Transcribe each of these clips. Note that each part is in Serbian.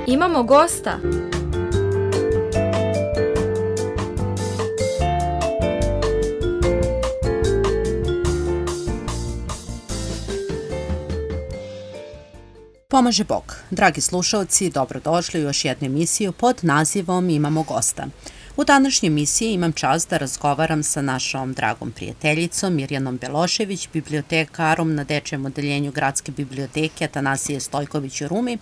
Imamo gosta. Pomaže Bog. Dragi slušalci, dobrodošli u još jednu emisiju pod nazivom Imamo gosta. U današnjoj emisiji imam čast da razgovaram sa našom dragom prijateljicom Mirjanom Belošević, bibliotekarom na Dečijem odeljenju Gradske biblioteke Atanasije Stojković u Rumi,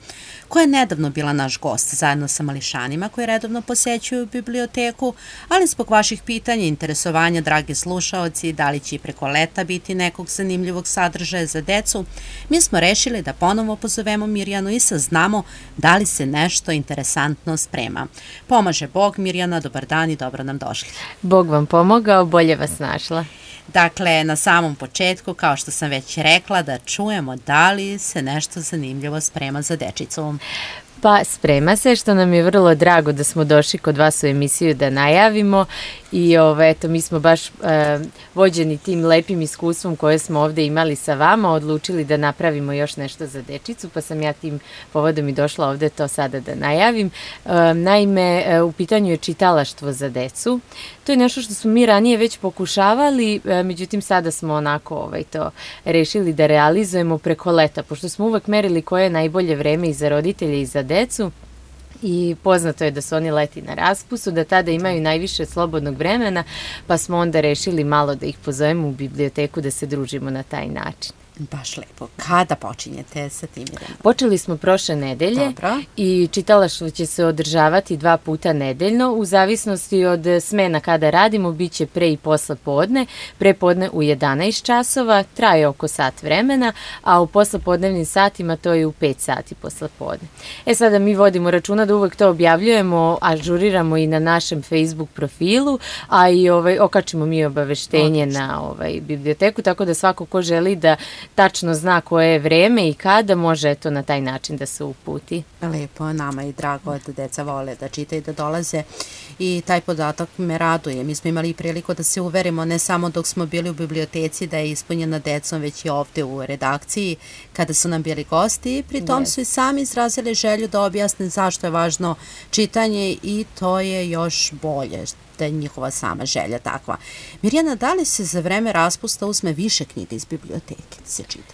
koja je nedavno bila naš gost zajedno sa mališanima koji redovno posećuju biblioteku, ali zbog vaših pitanja i interesovanja, dragi slušaoci, da li će i preko leta biti nekog zanimljivog sadržaja za decu, mi smo rešili da ponovo pozovemo Mirjanu i saznamo da li se nešto interesantno sprema. Pomaže Bog, Mirjana, dobar dan i dobro nam došli. Bog vam pomogao, bolje vas našla. Dakle, na samom početku, kao što sam već rekla, da čujemo da li se nešto zanimljivo sprema za dečicu. Pa sprema se, što nam je vrlo drago da smo došli kod vas u emisiju da najavimo i eto, mi smo baš vođeni tim lepim iskustvom koje smo ovde imali sa vama, odlučili da napravimo još nešto za dečicu, pa sam ja tim povodom i došla ovde to sada da najavim. Naime, u pitanju je čitalaštvo za decu. To je nešto što smo mi ranije već pokušavali, međutim sada smo onako to rešili da realizujemo preko leta, pošto smo uvek merili koje je najbolje vreme i za roditelje i za decu. I poznato je da su oni leti na raspustu, da tada imaju najviše slobodnog vremena, pa smo onda rešili malo da ih pozovemo u biblioteku da se družimo na taj način. Baš lepo. Kada počinjete sa tim? Počeli smo prošle nedelje. Dobro. I čitalaštvo će se održavati 2 puta nedeljno. U zavisnosti od smena kada radimo, bit će pre i posle podne. Pre podne u 11 časova, traje oko sat vremena, a u poslepodnevnim satima to je u 5 sati posle podne. Sada mi vodimo računa da uvek to objavljujemo, ažuriramo i na našem Facebook profilu, a i okačimo mi obaveštenje na biblioteku, tako da svako ko želi da tačno zna koje je vreme i kada, može na taj način da se uputi. Lepo, nama je drago da deca vole da čitaju i da dolaze i taj podatak me raduje. Mi smo imali priliku da se uverimo ne samo dok smo bili u biblioteci da je ispunjena decom, već i ovde u redakciji kada su nam bili gosti. Pri tom su i sami izrazili želju da objasne zašto je važno čitanje i to je još bolje, da je njihova sama želja takva. Mirjana, da li se za vreme raspusta uzme više knjiga iz biblioteke da se čita?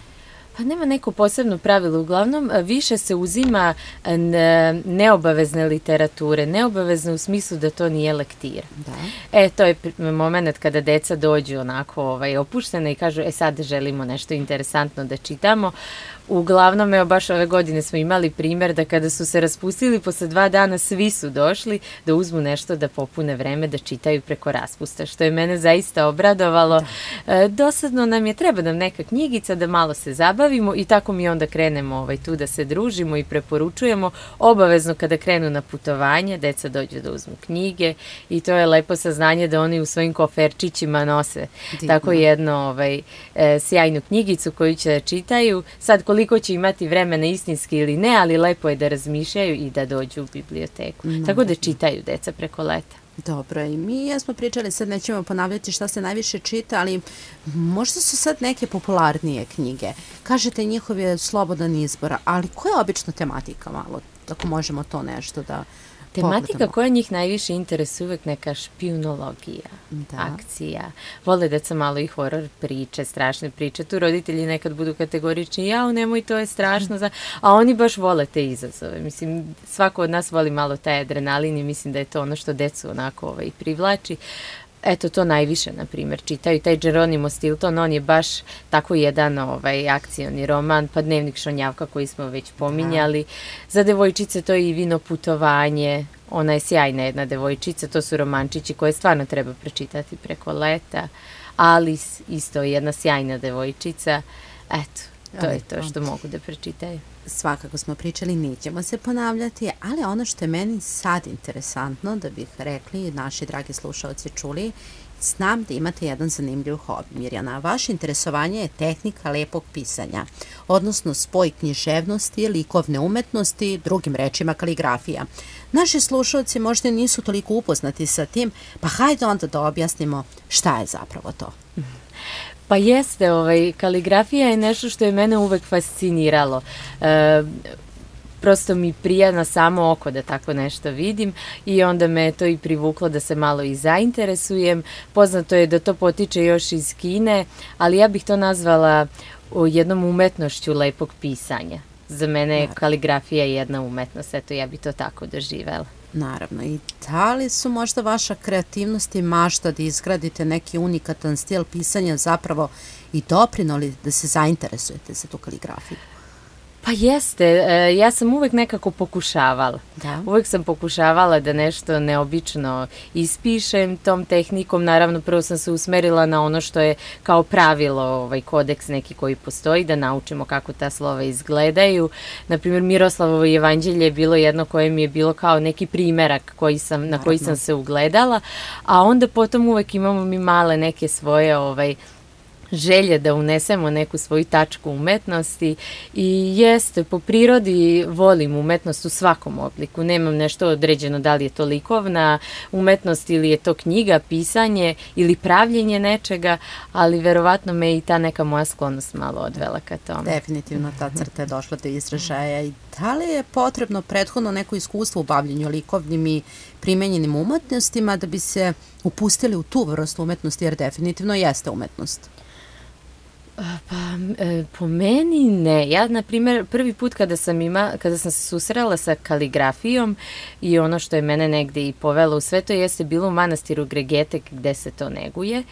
Pa nema neko posebno pravilo, uglavnom više se uzima neobavezne literature, neobavezne u smislu da to nije lektira. Da. To je moment kada deca dođu onako opuštene i kažu sad želimo nešto interesantno da čitamo. Uglavnom, baš ove godine smo imali primjer da kada su se raspustili, posle 2 dana svi su došli da uzmu nešto da popune vreme da čitaju preko raspusta, što je mene zaista obradovalo. Dosadno nam je, treba nam neka knjigica da malo se zabavimo i tako mi onda krenemo tu da se družimo i preporučujemo. Obavezno kada krenu na putovanje, deca dođu da uzmu knjige i to je lepo saznanje da oni u svojim koferčićima nose tako jednu sjajnu knjigicu koju će da čitaju. Sad koliko će imati vremena istinski ili ne, ali lepo je da razmišljaju i da dođu u biblioteku. Tako da čitaju deca preko leta. Dobro, i mi smo pričali, sad nećemo ponavljati šta se najviše čita, ali možda su sad neke popularnije knjige. Kažete, njihov je slobodan izbor, ali koja je obično tematika malo, ako možemo to nešto da tematika pogledamo? koja njih najviše interesuje uvek neka špijunologija, akcija. Vole deca malo i horor priče, strašne priče. Tu roditelji nekad budu kategorični, nemoj, to je strašno. A oni baš vole te izazove. Mislim, svako od nas voli malo taj adrenalin i mislim da je to ono što decu onako privlači. Eto, to najviše, na primjer, čitaju. Taj Geronimo Stilton, on je baš tako jedan akcioni roman, pa Dnevnik Šonjavka koji smo već pominjali. Za devojčice to je i Vino putovanje, ona je sjajna jedna devojčica, to su romančići koje stvarno treba pročitati preko leta. Alice, isto jedna sjajna devojčica. Eto, to je to što mogu da pročitaju. Svakako smo pričali, nećemo se ponavljati, ali ono što je meni sad interesantno, da bih rekli, naši dragi slušalci čuli, znam da imate jedan zanimljiv hobi, Mirjana. Vaše interesovanje je tehnika lepog pisanja, odnosno spoj književnosti, likovne umetnosti, drugim rečima kaligrafija. Naši slušalci možda nisu toliko upoznati sa tim, pa hajde onda da objasnimo šta je zapravo to. Pa jeste, kaligrafija je nešto što je mene uvek fasciniralo. prosto mi prija na samo oko da tako nešto vidim i onda me to i privuklo da se malo i zainteresujem. Poznato je da to potiče još iz Kine, ali ja bih to nazvala jednom umetnošću lepog pisanja. Za mene je kaligrafija jedna umetnost, eto ja bi to tako doživela. Naravno, i da li su možda vaša kreativnost i mašta da izgradite neki unikatan stil pisanja zapravo i doprinoli da se zainteresujete za tu kaligrafiju? Pa jeste, ja sam uvek nekako pokušavala. Da. Uvek sam pokušavala da nešto neobično ispišem tom tehnikom. Naravno, prvo sam se usmerila na ono što je kao pravilo, kodeks neki koji postoji, da naučimo kako ta slova izgledaju. Naprimjer, Miroslavovo jevanđelje je bilo jedno koje mi je bilo kao neki primerak na koji sam se ugledala, a onda potom uvek imamo mi male neke svoje želje da unesemo neku svoju tačku umetnosti i jeste, po prirodi volim umetnost u svakom obliku, nemam nešto određeno da li je to likovna umetnost ili je to knjiga, pisanje ili pravljenje nečega, ali verovatno me i ta neka moja sklonost malo odvela ka tome. Definitivno ta crta je došla do izražaja i da li je potrebno prethodno neko iskustvo u bavljenju likovnim i primenjenim umetnostima da bi se upustili u tu vrstu umetnosti, jer definitivno jeste umetnost? Pa, po meni ne. Ja, na primjer, prvi put kada sam se susrela sa kaligrafijom i ono što je mene negde i povelo u sve to jeste bilo u manastiru Gregetek gde se to neguje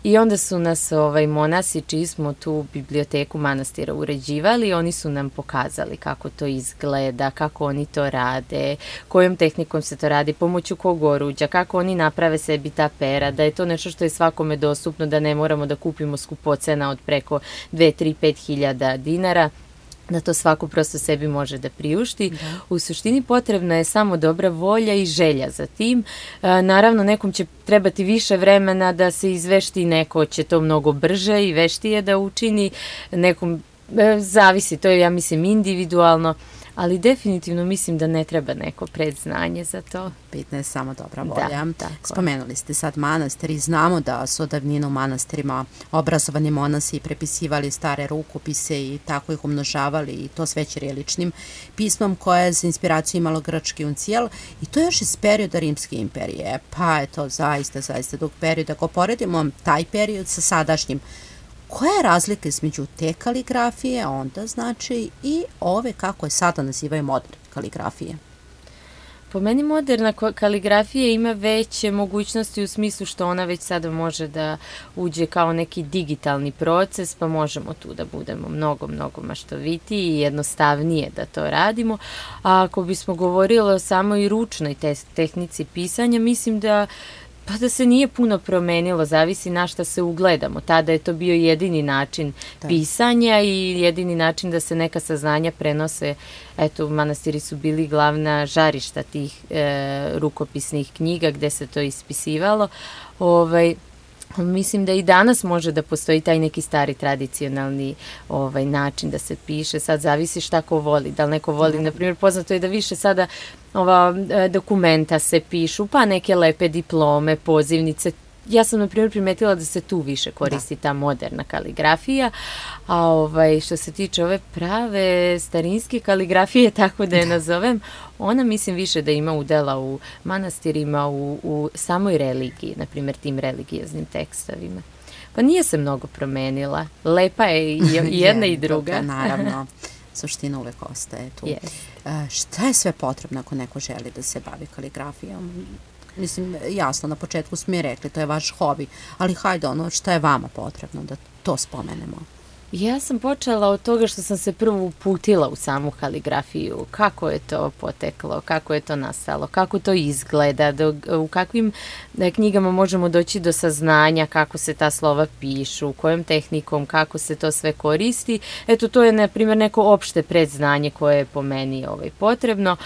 i onda su nas monasi čiji smo tu biblioteku manastira uređivali, oni su nam pokazali kako to izgleda, kako oni to rade, kojom tehnikom se to radi, pomoću kog oruđa, kako oni naprave sebi ta pera, da je to nešto što je svakome dostupno, da ne moramo da kupimo skupocena od preko 2, 3, 5 hiljada dinara, da to svako prosto sebi može da priušti. Da. U suštini potrebna je samo dobra volja i želja za tim. Naravno, nekom će trebati više vremena da se izvešti, neko će to mnogo brže i veštije da učini, nekom zavisi, to je, ja mislim, individualno, ali definitivno mislim da ne treba neko predznanje za to. Bitna je samo dobra volja. Da, spomenuli ste sad manastir i znamo da su od davnina u manastirima obrazovani monasi prepisivali stare rukopise i tako ih umnožavali i to sve ćiriličnim pismom koje je za inspiraciju imalo grčki uncijel i to još iz perioda Rimske imperije. Pa je to zaista dug period. Ako poredimo taj period sa sadašnjim, koja je razlika između te kaligrafije onda znači i ove kako je sada nazivaju moderne kaligrafije? Po meni moderna kaligrafija ima veće mogućnosti u smislu što ona već sada može da uđe kao neki digitalni proces, pa možemo tu da budemo mnogo maštovitiji i jednostavnije da to radimo. A ako bismo govorili o samoj ručnoj tehnici pisanja, mislim da se nije puno promenilo, zavisi na šta se ugledamo. Tada je to bio jedini način pisanja i jedini način da se neka saznanja prenose. Eto, manastiri su bili glavna žarišta tih rukopisnih knjiga gde se to ispisivalo. Mislim da i danas može da postoji taj neki stari tradicionalni način da se piše. Sad zavisi šta ko voli. Da li neko voli, na primjer, poznato je da više sada dokumenta se pišu, pa neke lepe diplome, pozivnice. Ja sam, na primjer, primetila da se tu više koristi ta moderna kaligrafija, a što se tiče ove prave starinske kaligrafije, tako da je nazovem, ona mislim više da ima udela u manastirima, u samoj religiji, na primjer tim religioznim tekstovima. Pa nije se mnogo promenila, lepa je i jedna i druga. Naravno, suština uvek ostaje tu. Šta je sve potrebno ako neko želi da se bavi kaligrafijom? Mislim, jasno, na početku smo i rekli, to je vaš hobi, ali hajde šta je vama potrebno da to spomenemo? Ja sam počela od toga što sam se prvo uputila u samu kaligrafiju, kako je to poteklo, kako je to nastalo, kako to izgleda, u kakvim knjigama možemo doći do saznanja kako se ta slova pišu, kojom tehnikom, kako se to sve koristi. Eto, to je, na primjer, neko opšte predznanje koje je po meni potrebno,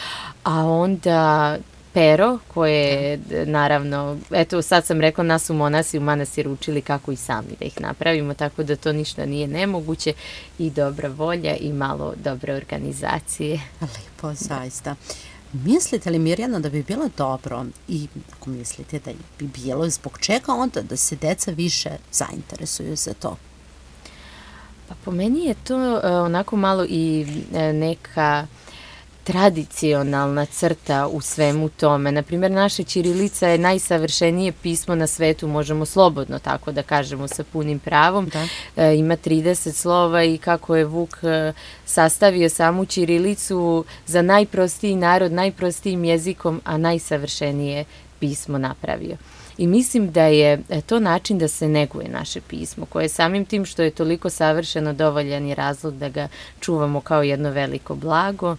a onda pero koje, naravno, eto sad sam rekla, nas su monasi u manastiru učili kako i sami da ih napravimo, tako da to ništa nije nemoguće i dobra volja i malo dobre organizacije. Lepo, zaista. Mislite li, Mirjana, da bi bilo dobro i ako mislite da bi bilo, zbog čega onda da se deca više zainteresuju za to? Pa po meni je to onako malo i neka tradicionalna crta u svemu tome. Naprimjer, naša ćirilica je najsavršenije pismo na svetu, možemo slobodno tako da kažemo sa punim pravom. Ima 30 slova i kako je Vuk sastavio samu ćirilicu za najprostiji narod, najprostijim jezikom, a najsavršenije pismo napravio. I mislim da je to način da se neguje naše pismo, koje samim tim što je toliko savršeno dovoljan je razlog da ga čuvamo kao jedno veliko blago.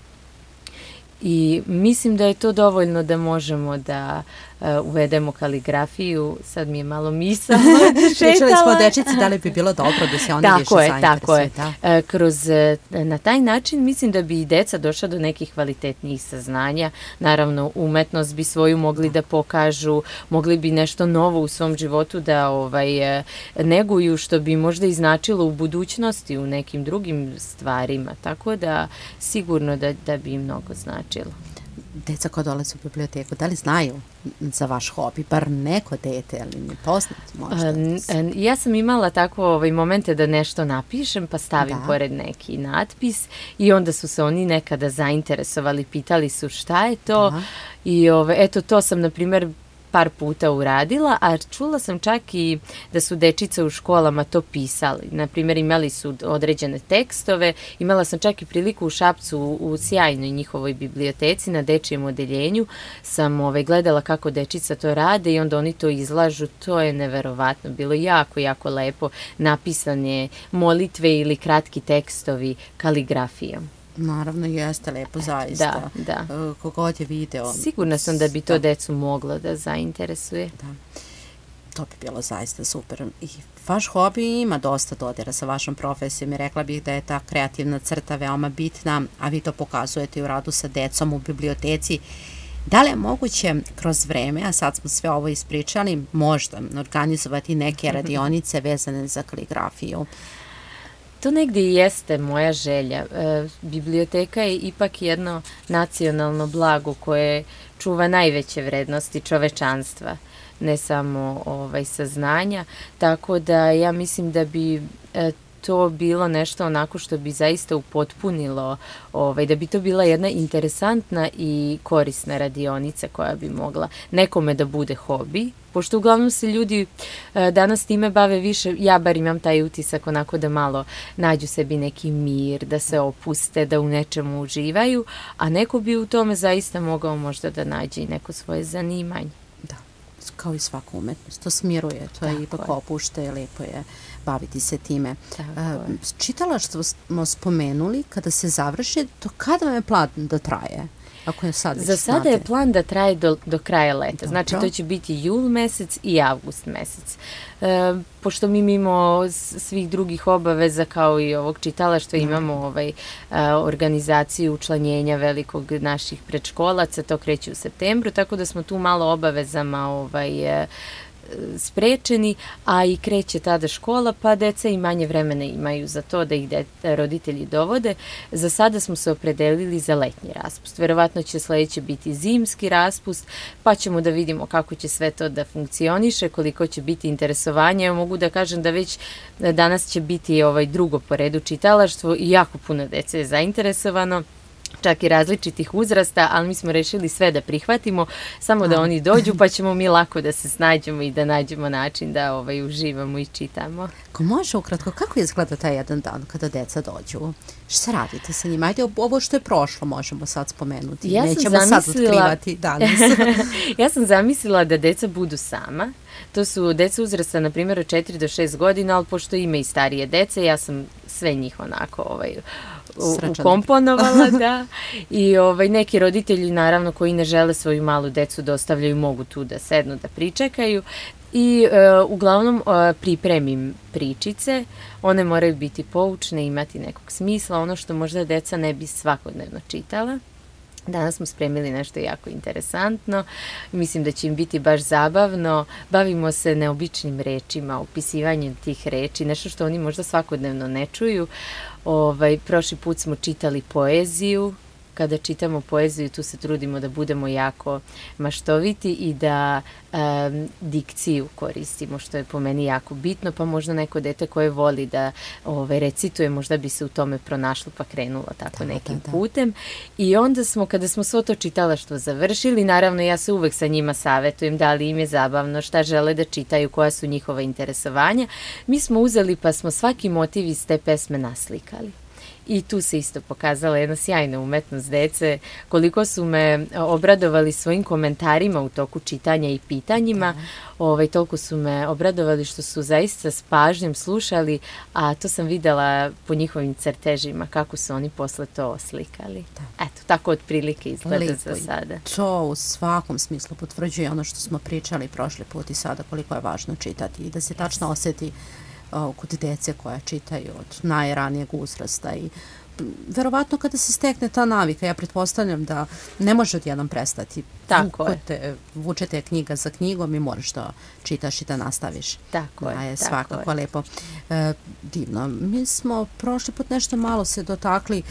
I mislim da je to dovoljno da možemo da uvedemo kaligrafiju. Sad mi je malo misao šetala. Pričali smo o dečici, da li bi bilo dobro da se oni više zainteresuju. Tako je. Na taj način mislim da bi i deca došla do nekih kvalitetnijih saznanja. Naravno, umetnost bi svoju mogli da pokažu, mogli bi nešto novo u svom životu da neguju, što bi možda i značilo u budućnosti u nekim drugim stvarima. Tako da sigurno da bi im mnogo značilo. Deca koja dolaze u biblioteku, da li znaju za vaš hobi, bar neko dete, ali mi poznati možda? Ja sam imala tako momente da nešto napišem, pa stavim pored neki natpis i onda su se oni nekada zainteresovali, pitali su šta je to i eto to sam, na primjer, par puta uradila, a čula sam čak i da su dečice u školama to pisali. Naprimjer, imali su određene tekstove, imala sam čak i priliku u Šapcu u sjajnoj njihovoj biblioteci na dečijem odeljenju, sam gledala kako dečica to rade i onda oni to izlažu, to je neverovatno, bilo jako, jako lepo, napisane molitve ili kratki tekstovi kaligrafijom. Naravno, jeste lepo, zaista. Da. Kogod je video. Sigurna sam da bi to decu moglo da zainteresuje. Da. To bi bilo zaista super. I vaš hobi ima dosta dodira sa vašom profesijom i rekla bih da je ta kreativna crta veoma bitna, a vi to pokazujete u radu sa decom u biblioteci. Da li je moguće kroz vreme, a sad smo sve ovo ispričali, možda organizovati neke radionice vezane za kaligrafiju? To negdje i jeste moja želja. Biblioteka je ipak jedno nacionalno blago koje čuva najveće vrednosti čovečanstva, ne samo saznanja, tako da ja mislim da bi to bilo nešto onako što bi zaista upotpunilo, da bi to bila jedna interesantna i korisna radionica koja bi mogla nekome da bude hobi, pošto uglavnom se ljudi danas time bave više, ja bar imam taj utisak onako da malo nađu sebi neki mir, da se opuste, da u nečemu uživaju, a neko bi u tome zaista mogao možda da nađe i neko svoje zanimanje. Da, kao i svaka umetnost, to smiruje, to je ipak opušta i lepo je baviti se time. Čitala što smo spomenuli, kada se završi, to kada vam je plan da traje? Za sada je plan da traje do kraja leta. Znači, to će biti jul mesec i avgust mesec. Pošto mi mimo svih drugih obaveza kao i ovog čitalaštva imamo organizaciju učlanjenja velikog naših predškolaca, to kreće u septembru, tako da smo tu malo obavezama sprečeni, a i kreće tada škola, pa deca i manje vremena imaju za to da ih roditelji dovode. Za sada smo se opredelili za letnji raspust. Verovatno će sledeće biti zimski raspust, pa ćemo da vidimo kako će sve to da funkcioniše, koliko će biti interesovanja. Ja mogu da kažem da već danas će biti drugo po redu čitalaštvo i jako puno dece je zainteresovano, čak i različitih uzrasta, ali mi smo rešili sve da prihvatimo, samo da oni dođu, pa ćemo mi lako da se snađemo i da nađemo način da uživamo i čitamo. Ko može ukratko, kako izgleda taj jedan dan kada deca dođu? Šta radite sa njima? Ajde, ovo što je prošlo možemo sad spomenuti. Nećemo sad otkrivati danas. Ja sam zamislila da deca budu sama. To su deca uzrasta, na primjer, od 4 do 6 godina, ali pošto ima i starije dece, ja sam sve njih onako ukomponovala, da. I neki roditelji, naravno, koji ne žele svoju malu decu da ostavljaju, mogu tu da sednu, da pričekaju. I uglavnom pripremim pričice, one moraju biti poučne, imati nekog smisla, ono što možda deca ne bi svakodnevno čitala. Danas smo spremili nešto jako interesantno, mislim da će im biti baš zabavno, bavimo se neobičnim rečima, opisivanjem tih reči, nešto što oni možda svakodnevno ne čuju. Prošli put smo čitali poeziju, kada čitamo poeziju, tu se trudimo da budemo jako maštoviti i da dikciju koristimo, što je po meni jako bitno, pa možda neko dete koje voli da recituje, možda bi se u tome pronašlo pa krenulo tako nekim putem. I onda kada smo svo to čitalaštvo završili, naravno ja se uvek sa njima savetujem da li im je zabavno, šta žele da čitaju, koja su njihova interesovanja. Mi smo uzeli pa smo svaki motiv iz te pesme naslikali. I tu se isto pokazala jedna sjajna umetnost dece, koliko su me obradovali svojim komentarima u toku čitanja i pitanjima, toliko su me obradovali što su zaista s pažnjom slušali, a to sam videla po njihovim crtežima, kako su oni posle to oslikali. Eto, tako otprilike izgleda za sada. To u svakom smislu potvrđuje ono što smo pričali prošli put i sada, koliko je važno čitati i da se tačno osjeti kod dece koja čitaju od najranijeg uzrasta i verovatno kada se stekne ta navika, ja pretpostavljam da ne može odjednom prestati. Vučete knjiga za knjigom i moraš da čitaš i da nastaviš. Tako je. Svakako lepo. Divno. Mi smo prošli put nešto malo se dotakli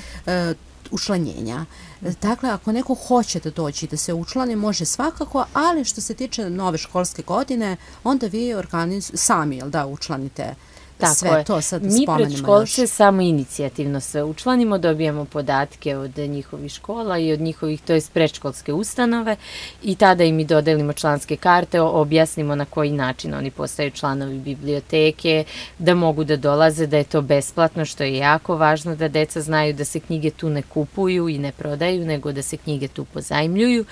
učlanjenja. Dakle, ako neko hoće da dođe i da se učlani, može svakako, ali što se tiče nove školske godine, onda vi sami učlanite sve to. Sad mi predškolce samo inicijativno sve učlanimo, dobijamo podatke od njihovih škola i od njihovih, to je predškolske ustanove, i tada im i dodelimo članske karte, objasnimo na koji način oni postaju članovi biblioteke, da mogu da dolaze, da je to besplatno, što je jako važno da deca znaju da se knjige tu ne kupuju i ne prodaju, nego da se knjige tu pozajmljuju.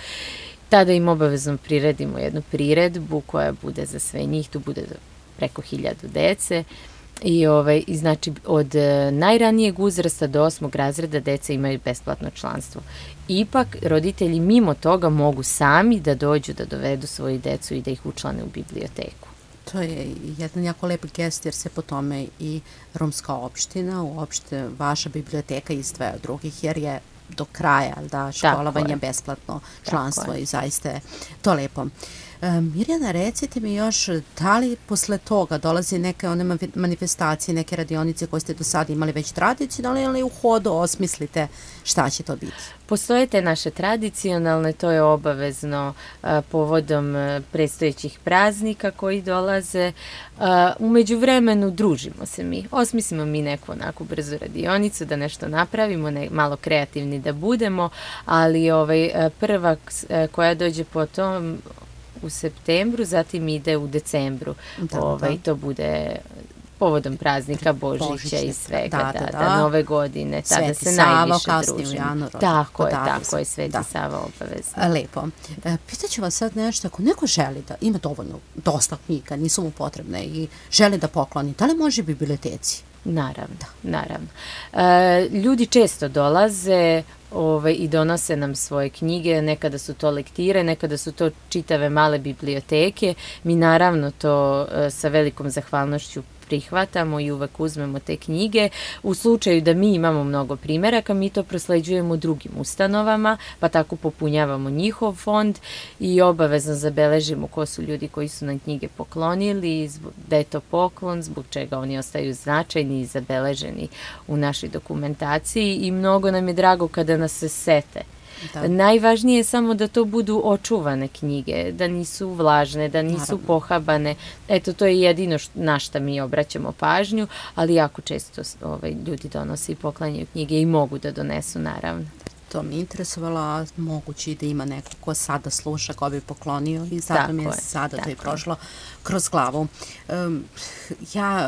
Tada im obavezno priredimo jednu priredbu koja bude za sve njih, tu bude preko 1000 dece. I znači od najranijeg uzrasta do 8. razreda deca imaju besplatno članstvo. Ipak roditelji mimo toga mogu sami da dođu da dovedu svoju decu i da ih učlane u biblioteku. To je jedan jako lep gest jer se po tome i romska opština, uopšte vaša biblioteka izdvaja od drugih jer je do kraja školovanje besplatno članstvo i zaista je to lepo. Mirjana, recite mi još, da li posle toga dolazi neke one manifestacije, neke radionice koje ste do sada imali već tradicionalne ili u hodu osmislite šta će to biti? Postoje te naše tradicionalne, to je obavezno povodom predstojećih praznika koji dolaze. U međuvremenu družimo se mi, osmislimo mi neku onako brzu radionicu da nešto napravimo, malo kreativni da budemo, ali prva koja dođe potom u septembru, zatim ide u decembru. To bude povodom praznika Božića i svega, Nove godine, tada se najviše družimo. Tako je, Sveti Sava obavezno. Lepo. Pitaću vas sad nešto, ako neko želi da ima dosta knjiga, nisu mu potrebne i želi da pokloni, da li može biblioteci? Naravno. Ljudi često dolaze i donose nam svoje knjige, nekada su to lektire, nekada su to čitave male biblioteke. Mi naravno to sa velikom zahvalnošću prihvatamo i uvek uzmemo te knjige. U slučaju da mi imamo mnogo primeraka, mi to prosleđujemo drugim ustanovama, pa tako popunjavamo njihov fond i obavezno zabeležimo ko su ljudi koji su nam knjige poklonili, da je to poklon, zbog čega oni ostaju značajni i zabeleženi u našoj dokumentaciji i mnogo nam je drago kada nas se sete. Najvažnije je samo da to budu očuvane knjige, da nisu vlažne, da nisu pohabane. Eto, to je jedino na šta mi obraćamo pažnju, ali jako često ljudi donose i poklanjaju knjige i mogu da donesu, naravno. To mi je interesovalo, a moguće da ima neko ko sada sluša, ko bi poklonio i zato mi je sada to i prošlo kroz glavu.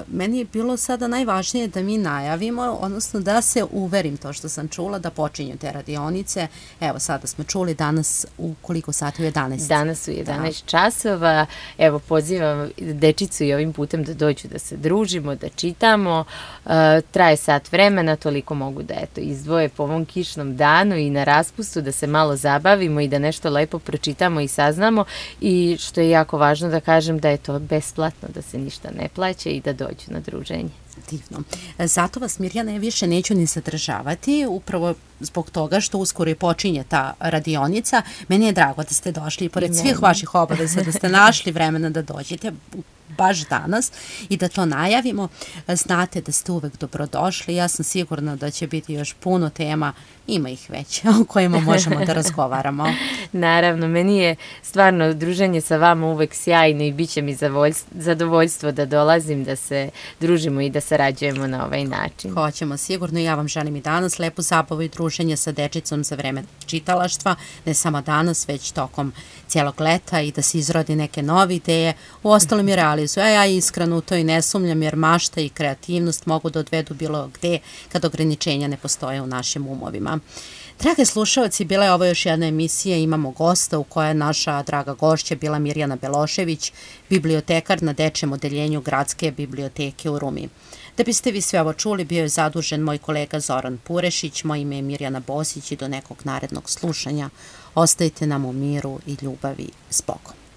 Meni je bilo sada najvažnije da mi najavimo, odnosno da se uverim to što sam čula, da počinju te radionice. Evo, sada smo čuli danas u koliko sati? U 11? Danas u 11 časova. Evo, pozivam dečicu i ovim putem da dođu da se družimo, da čitamo. Traje sat vremena, toliko mogu da izdvoje po ovom kišnom danu i na raspustu da se malo zabavimo i da nešto lepo pročitamo i saznamo i što je jako važno da kažem da je to besplatno, da se ništa ne plaća i da dođu na druženje. Divno. Zato vas, Mirjana, više neću ni zadržavati, upravo zbog toga što uskoro i počinje ta radionica. Meni je drago da ste došli i pored svih vaših obaveza da ste našli vremena da dođete. baš danas i da to najavimo. Znate da ste uvek dobrodošli. Ja sam sigurna da će biti još puno tema, ima ih već, o kojima možemo da razgovaramo. Naravno, meni je stvarno druženje sa vama uvek sjajno i bit će mi zadovoljstvo da dolazim, da se družimo i da sarađujemo na ovaj način. Hoćemo sigurno i ja vam želim i danas lepu zabavu i druženje sa dečicom za vreme čitalaštva, ne samo danas, već tokom cijelog leta i da se izrodi neke nove ideje. U ostalom je realizuju, a ja iskreno u to i ne sumnjam jer mašta i kreativnost mogu da odvedu bilo gde kad ograničenja ne postoje u našim umovima. Drage slušalci, bila je ovo još jedna emisija, imamo gosta u kojoj je naša draga gošća bila Mirjana Belošević, bibliotekar na dečijem odeljenju Gradske biblioteke u Rumi. Da biste vi sve ovo čuli, bio je zadužen moj kolega Zoran Purešić, moje ime je Mirjana Bosić i do nekog narednog slušanja. Ostajte nam u miru i ljubavi s Bogom.